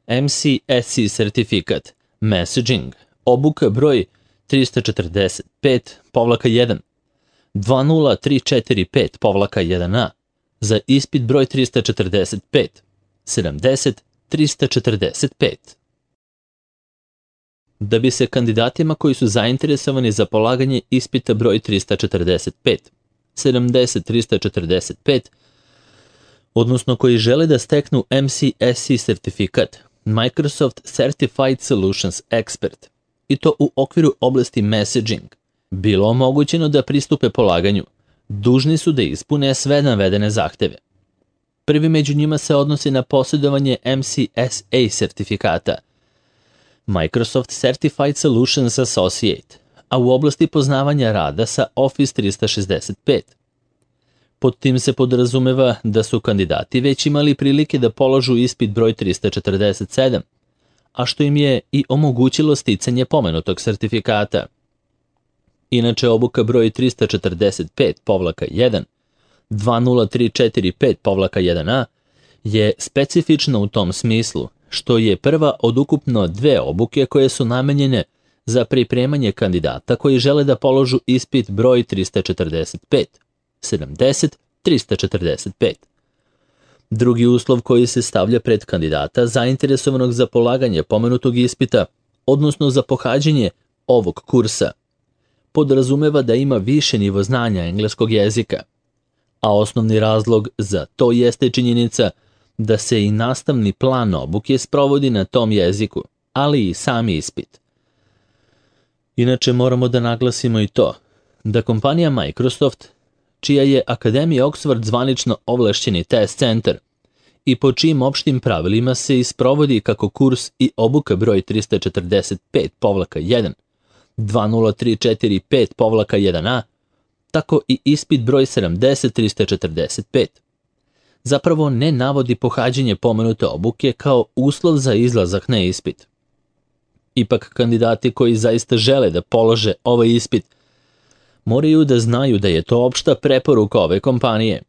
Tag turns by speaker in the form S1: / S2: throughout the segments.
S1: MCSE sertifikat, Messaging, obuka broj 345-1, 20345-1A, za ispit broj 345, 70-345. Da bi se kandidatima koji su zainteresovani za polaganje ispita broj 345, 70-345, odnosno koji žele da steknu MCSE sertifikat, Microsoft Certified Solutions Expert, i to u okviru oblasti Messaging, bilo omogućeno da pristupe polaganju, dužni su da ispune sve navedene zahteve. Prvi među njima se odnosi na posjedovanje MCSA sertifikata, Microsoft Certified Solutions Associate, a u oblasti poznavanja rada sa Office 365. Pod tim se podrazumeva da su kandidati već imali prilike da polažu ispit broj 347, a što im je i omogućilo sticanje pomenutog sertifikata. Inače, obuka broj 345-1, 20345-1A je specifična u tom smislu, što je prva od ukupno 2 obuke koje su namenjene za pripremanje kandidata koji žele da položu ispit broj 345, 70-345. Drugi uslov koji se stavlja pred kandidata zainteresovanog za polaganje pomenutog ispita, odnosno za pohađanje ovog kursa, podrazumeva da ima više nivo znanja engleskog jezika, a osnovni razlog za to jeste činjenica da se i nastavni plan obuke sprovodi na tom jeziku, ali i sami ispit. Inače, moramo da naglasimo i to da kompanija Microsoft, čija je Akademija Oxford zvanično ovlašćeni test centar i po čijim opštim pravilima se isprovodi kako kurs i obuka broj 345-1, 20345-1A, tako i ispit broj 70-345. Zapravo ne navodi pohađanje pomenute obuke kao uslov za izlazak na ispit. Ipak, kandidati koji zaista žele da polože ovaj ispit moraju da znaju da je to opšta preporuka ove kompanije,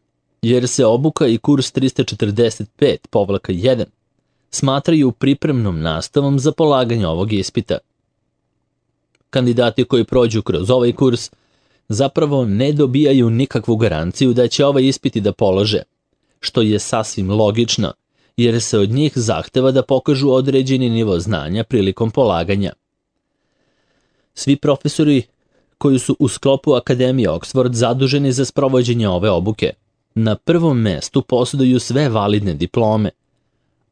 S1: jer se obuka i kurs 345-1 smatraju pripremnom nastavom za polaganje ovog ispita. Kandidati koji prođu kroz ovaj kurs zapravo ne dobijaju nikakvu garanciju da će ovaj ispit i da polože, što je sasvim logično, jer se od njih zahteva da pokažu određeni nivo znanja prilikom polaganja. Svi profesori koji su u sklopu Akademije Oxford zaduženi za sprovođenje ove obuke, na prvom mestu posjeduju sve validne diplome,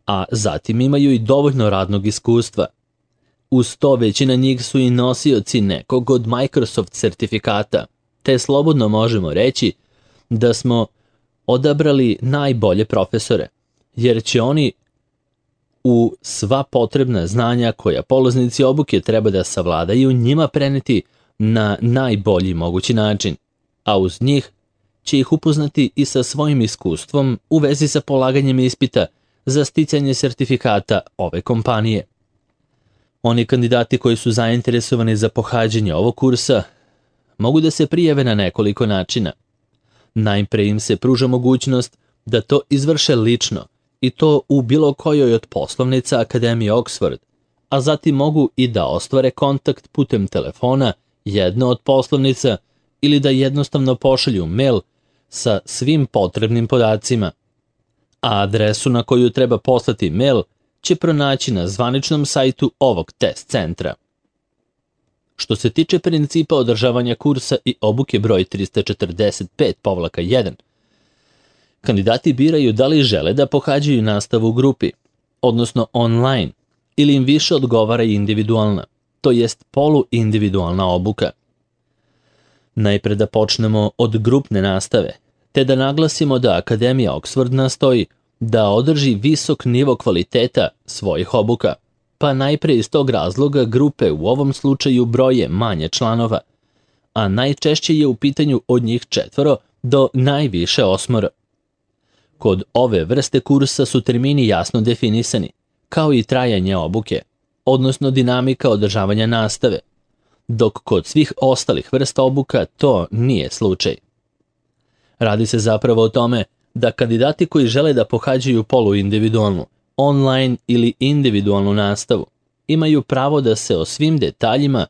S1: a zatim imaju i dovoljno radnog iskustva. Uz to, većina njih su i nosioci nekog od Microsoft sertifikata, te slobodno možemo reći da smo odabrali najbolje profesore, jer će oni u sva potrebna znanja koja polaznici obuke treba da savladaju njima preneti na najbolji mogući način, a uz njih će ih upoznati i sa svojim iskustvom u vezi sa polaganjem ispita za sticanje sertifikata ove kompanije. Oni kandidati koji su zainteresovani za pohađanje ovog kursa mogu da se prijave na nekoliko načina. Najpre im se pruža mogućnost da to izvrše lično, i to u bilo kojoj od poslovnica Akademije Oxford, a zatim mogu i da ostvare kontakt putem telefona jedno od poslovnica ili da jednostavno pošalju mail sa svim potrebnim podacima. A adresu na koju treba poslati mail će pronaći na zvaničnom sajtu ovog test centra. Što se tiče principa održavanja kursa i obuke broj 345-1, kandidati biraju da li žele da pohađaju nastavu u grupi, odnosno online, ili im više odgovara individualna, to jest poluindividualna obuka. Najpre da počnemo od grupne nastave, te da naglasimo da Akademija Oxford nastoji da održi visok nivo kvaliteta svojih obuka, pa najpre iz tog razloga grupe u ovom slučaju broje manje članova, a najčešće je u pitanju od njih 4 do najviše 8. Kod ove vrste kursa su termini jasno definisani, kao i trajanje obuke, odnosno dinamika održavanja nastave, dok kod svih ostalih vrsta obuka to nije slučaj. Radi se zapravo o tome da kandidati koji žele da pohađaju poluindividualnu, online ili individualnu nastavu, imaju pravo da se o svim detaljima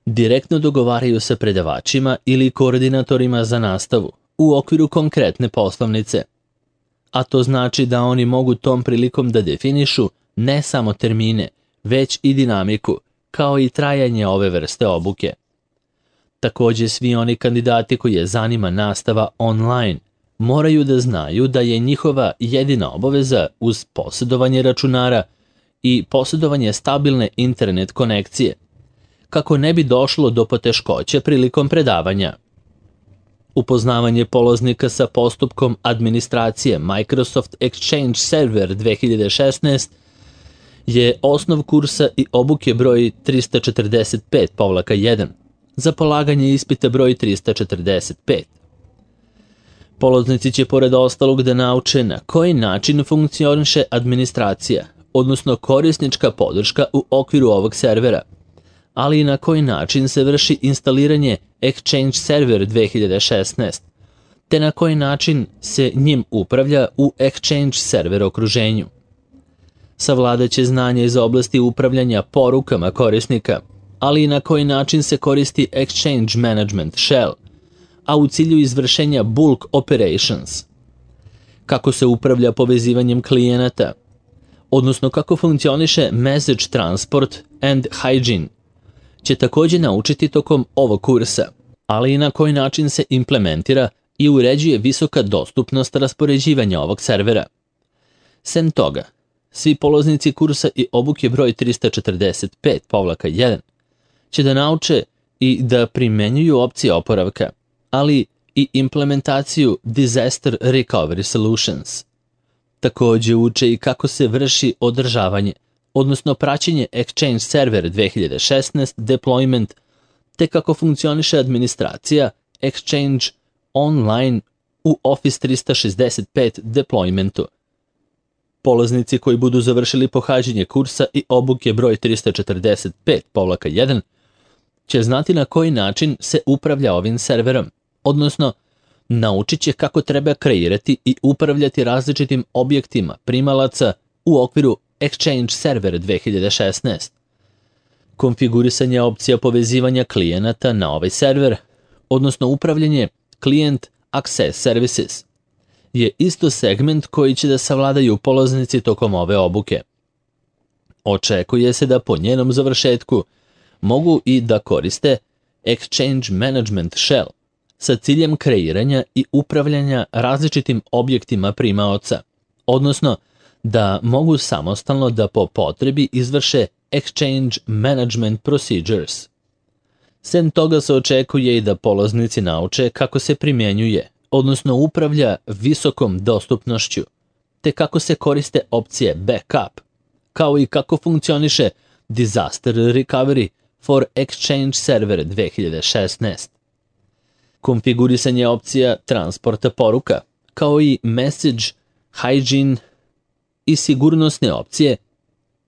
S1: direktno dogovaraju sa predavačima ili koordinatorima za nastavu u okviru konkretne poslovnice. A to znači da oni mogu tom prilikom da definišu ne samo termine, već i dinamiku, kao i trajanje ove vrste obuke. Takođe, svi oni kandidati koje zanima nastava online moraju da znaju da je njihova jedina obaveza uz posjedovanje računara i posjedovanje stabilne internet konekcije, kako ne bi došlo do poteškoća prilikom predavanja. Upoznavanje polaznika sa postupkom administracije Microsoft Exchange Server 2016 je osnov kursa i obuke broj 345-1 za polaganje ispita broj 345. Polaznici će pored ostalog da nauče na koji način funkcioniše administracija, odnosno korisnička podrška u okviru ovog servera, ali i na koji način se vrši instaliranje Exchange Server 2016, te na koji način se njim upravlja u Exchange Server okruženju. Savladaće znanje iz oblasti upravljanja porukama korisnika, ali i na koji način se koristi Exchange Management Shell, a u cilju izvršenja bulk operations. Kako se upravlja povezivanjem klijenata, odnosno kako funkcioniše message transport and hygiene, će takođe naučiti tokom ovog kursa, ali i na koji način se implementira i uređuje visoka dostupnost raspoređivanja ovog servera. Sem toga, svi polaznici kursa i obuke broj 345-1 će da nauče i da primenjuju opcije oporavka, ali i implementaciju Disaster Recovery Solutions. Takođe uče i kako se vrši održavanje, odnosno praćenje Exchange Server 2016 deployment, te kako funkcioniše administracija Exchange online u Office 365 deploymentu. Polaznici koji budu završili pohađanje kursa i obuke broj 345-1 će znati na koji način se upravlja ovim serverom, odnosno naučit će kako treba kreirati i upravljati različitim objektima primalaca u okviru Exchange Server 2016. Konfigurisanje opcija povezivanja klijenata na ovaj server, odnosno upravljanje Client Access Services, je isto segment koji će da savladaju polaznici tokom ove obuke. Očekuje se da po njenom završetku mogu i da koriste Exchange Management Shell sa ciljem kreiranja i upravljanja različitim objektima primaoca, odnosno da mogu samostalno da po potrebi izvrše Exchange Management Procedures. Sem toga se očekuje i da polaznici nauče kako se primjenjuje, odnosno upravlja visokom dostupnošću, te kako se koriste opcije backup, kao i kako funkcioniše Disaster Recovery for Exchange Server 2016. Konfigurisanje opcija transporta poruka, kao i message, hygiene i sigurnosne opcije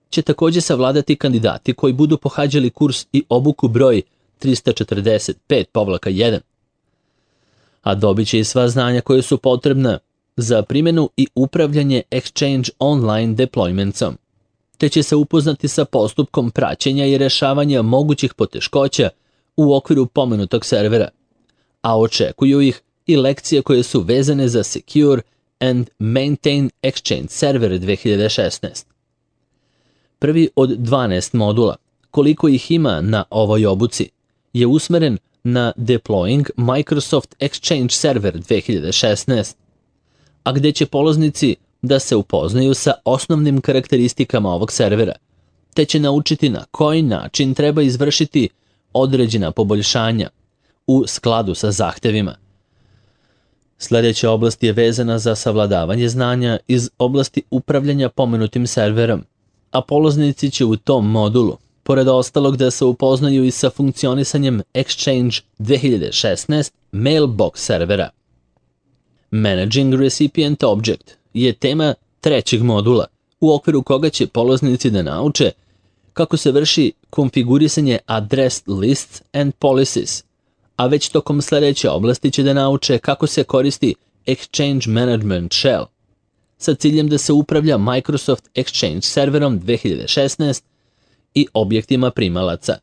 S1: će takođe savladati kandidati koji budu pohađali kurs i obuku broj 345-1, a dobit će i sva znanja koje su potrebna za primjenu i upravljanje Exchange online deploymentsom, te će se upoznati sa postupkom praćenja i rešavanja mogućih poteškoća u okviru pomenutog servera, a očekuju ih i lekcije koje su vezane za Secure and Maintain Exchange Server 2016. Prvi od 12 modula, koliko ih ima na ovoj obuci, je usmeren na Deploying Microsoft Exchange Server 2016, a gde će polaznici da se upoznaju sa osnovnim karakteristikama ovog servera, te će naučiti na koji način treba izvršiti određena poboljšanja u skladu sa zahtevima. Sljedeća oblast je vezana za savladavanje znanja iz oblasti upravljanja pomenutim serverom, a polaznici će u tom modulu, pored ostalog, da se upoznaju i sa funkcionisanjem Exchange 2016 Mailbox servera. Managing Recipient Object je tema trećeg modula, u okviru koga će polaznici da nauče kako se vrši konfigurisanje Addressed Lists and Policies, a već tokom sljedeće oblasti će da nauče kako se koristi Exchange Management Shell, sa ciljem da se upravlja Microsoft Exchange serverom 2016 i objektima primalaca.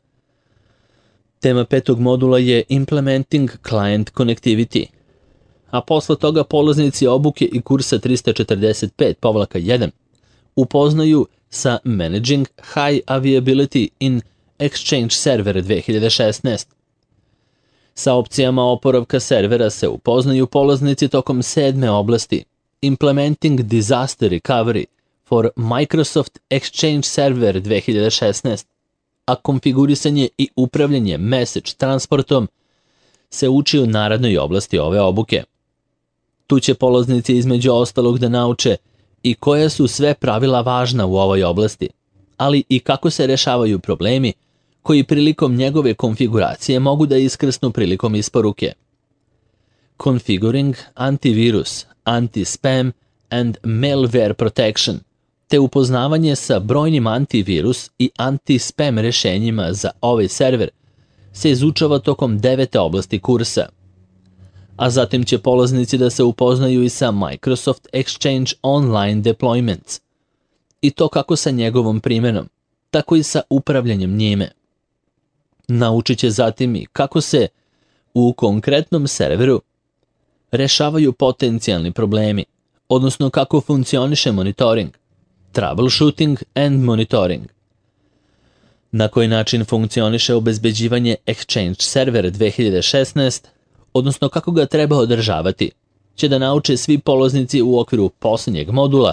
S1: Tema 5. modula je Implementing Client Connectivity, a posle toga polaznici obuke i kursa 345-1 upoznaju sa Managing High Availability in Exchange Server 2016. Sa opcijama oporavka servera se upoznaju polaznici tokom 7. oblasti Implementing Disaster Recovery for Microsoft Exchange Server 2016, a konfigurisanje i upravljanje message transportom se uči u narednoj oblasti ove obuke. Tu će polaznici između ostalog da nauče i koja su sve pravila važna u ovoj oblasti, ali i kako se rešavaju problemi koji prilikom njegove konfiguracije mogu da iskrsnu prilikom isporuke. Configuring antivirus, anti-spam and malware protection, te upoznavanje sa brojnim antivirus i anti-spam rešenjima za ovaj server se izučava tokom 9. oblasti kursa. A zatim će polaznici da se upoznaju i sa Microsoft Exchange Online Deployments, i to kako sa njegovom primjenom, tako i sa upravljanjem njime. Naučit će zatim i kako se u konkretnom serveru rešavaju potencijalni problemi, odnosno kako funkcioniše monitoring, troubleshooting and monitoring. Na koji način funkcioniše obezbeđivanje Exchange Server 2016, odnosno kako ga treba održavati, će da nauče svi polaznici u okviru posljednjeg modula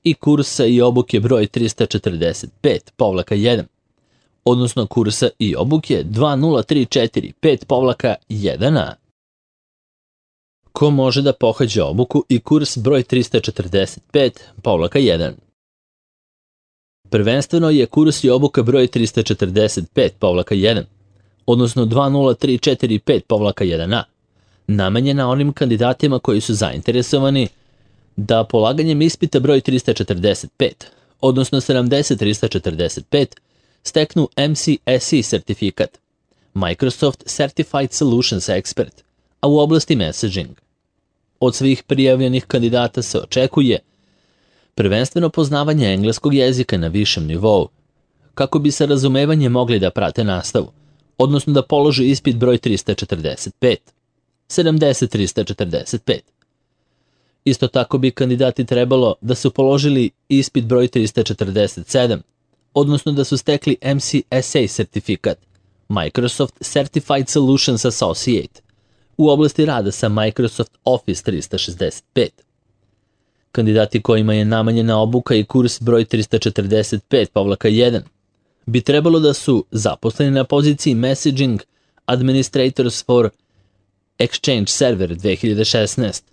S1: i kursa i obuke broj 345-1, odnosno kursa i obuke 2034-5-1a. Ko može da pohađa obuku i kurs broj 345-1? Prvenstveno je kurs i obuka broj 345-1, odnosno 2034-5-1a, namenjena onim kandidatima koji su zainteresovani da polaganjem ispita broj 345, odnosno 70-345, steknu MCSE sertifikat, Microsoft Certified Solutions Expert, a u oblasti messaging. Od svih prijavljenih kandidata se očekuje prvenstveno poznavanje engleskog jezika na višem nivou, kako bi sa razumevanjem mogli da prate nastavu, odnosno da polože ispit broj 345, 70-345. Isto tako bi kandidati trebalo da su položili ispit broj 347, odnosno da su stekli MCSA sertifikat, Microsoft Certified Solutions Associate, u oblasti rada sa Microsoft Office 365. Kandidati kojima je namenjena obuka i kurs broj 345-1 bi trebalo da su zaposleni na poziciji Messaging Administrators for Exchange Server 2016.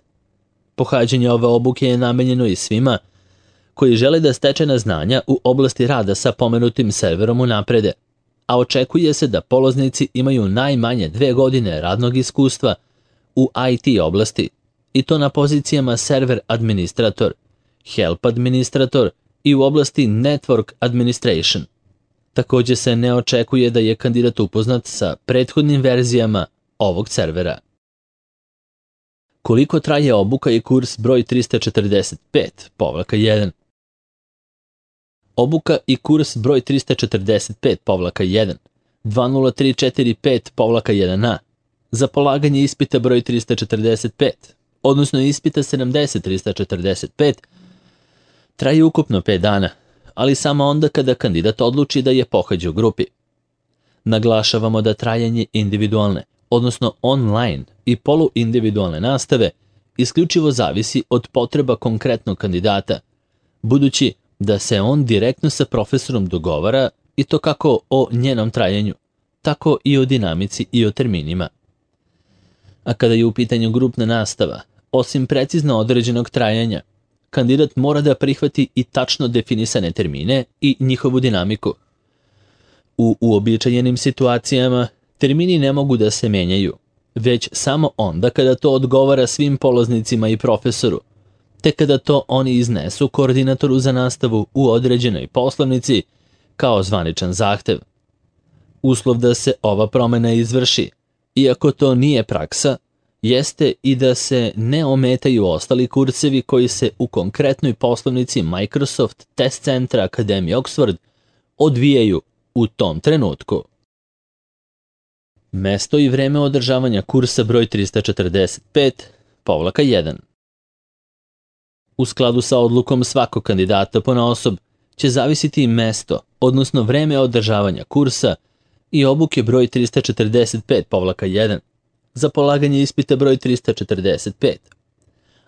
S1: Pohađanje ove obuke je namenjeno i svima koji žele da stečena znanja u oblasti rada sa pomenutim serverom unaprede, a očekuje se da polaznici imaju najmanje 2 godine radnog iskustva u IT oblasti, i to na pozicijama Server Administrator, Help Administrator i u oblasti Network Administration. Također se ne očekuje da je kandidat upoznat sa prethodnim verzijama ovog servera. Koliko traje obuka i kurs broj 345-1? Obuka i kurs broj 345-1, 2034-5-1a, za polaganje ispita broj 345, odnosno ispita 70-345, traje ukupno 5 dana, ali samo onda kada kandidat odluči da je pohađa u grupi. Naglašavamo da trajanje individualne, odnosno online i poluindividualne nastave isključivo zavisi od potreba konkretnog kandidata, budući da se on direktno sa profesorom dogovara, i to kako o njenom trajanju, tako i o dinamici i o terminima. A kada je u pitanju grupna nastava, osim precizno određenog trajanja, kandidat mora da prihvati i tačno definisane termine i njihovu dinamiku. U uobičajenim situacijama termini ne mogu da se menjaju, već samo onda kada to odgovara svim polaznicima i profesoru, te kada to oni iznesu koordinatoru za nastavu u određenoj poslovnici kao zvaničan zahtev. Uslov da se ova promena izvrši, iako to nije praksa, jeste i da se ne ometaju ostali kursevi koji se u konkretnoj poslovnici Microsoft Test Centra Akademije Oxford odvijaju u tom trenutku. Mesto i vreme održavanja kursa broj 345-1. U skladu sa odlukom svakog kandidata ponaosob će zavisiti i mesto, odnosno vreme održavanja kursa i obuke broj 345-1 za polaganje ispita broj 345.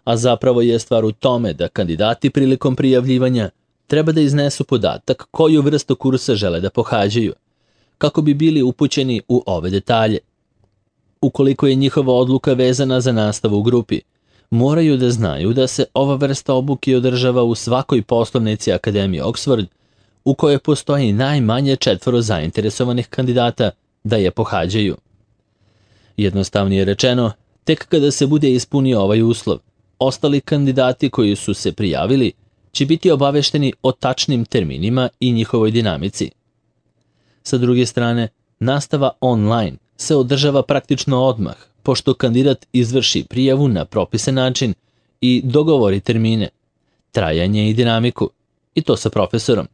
S1: A zapravo je stvar u tome da kandidati prilikom prijavljivanja treba da iznesu podatak koju vrstu kursa žele da pohađaju, kako bi bili upućeni u ove detalje. Ukoliko je njihova odluka vezana za nastavu u grupi, moraju da znaju da se ova vrsta obuke održava u svakoj poslovnici Akademije Oxford, u kojoj postoji najmanje 4 zainteresovanih kandidata da je pohađaju. Jednostavnije rečeno, tek kada se bude ispunio ovaj uslov, ostali kandidati koji su se prijavili će biti obavešteni o tačnim terminima i njihovoj dinamici. Sa druge strane, nastava online se održava praktično odmah, pošto kandidat izvrši prijavu na propisan način i dogovori termine, trajanje i dinamiku, i to sa profesorom,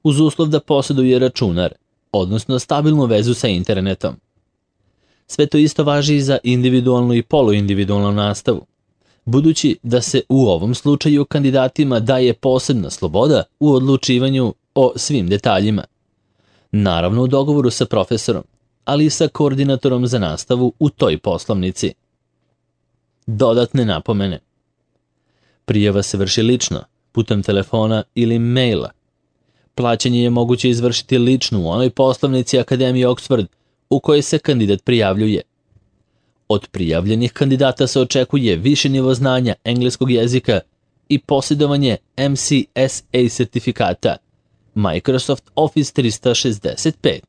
S1: uz uslov da posjeduje računar, odnosno stabilnu vezu sa internetom. Sve to isto važi i za individualnu i poluindividualnu nastavu, budući da se u ovom slučaju kandidatima daje posebna sloboda u odlučivanju o svim detaljima. Naravno u dogovoru sa profesorom, ali i sa koordinatorom za nastavu u toj poslovnici. Dodatne napomene. Prijava se vrši lično, putem telefona ili maila. Plaćanje je moguće izvršiti lično u onoj poslovnici Akademije Oxford u kojoj se kandidat prijavljuje. Od prijavljenih kandidata se očekuje više nivo znanja engleskog jezika i posjedovanje MCSA sertifikata Microsoft Office 365.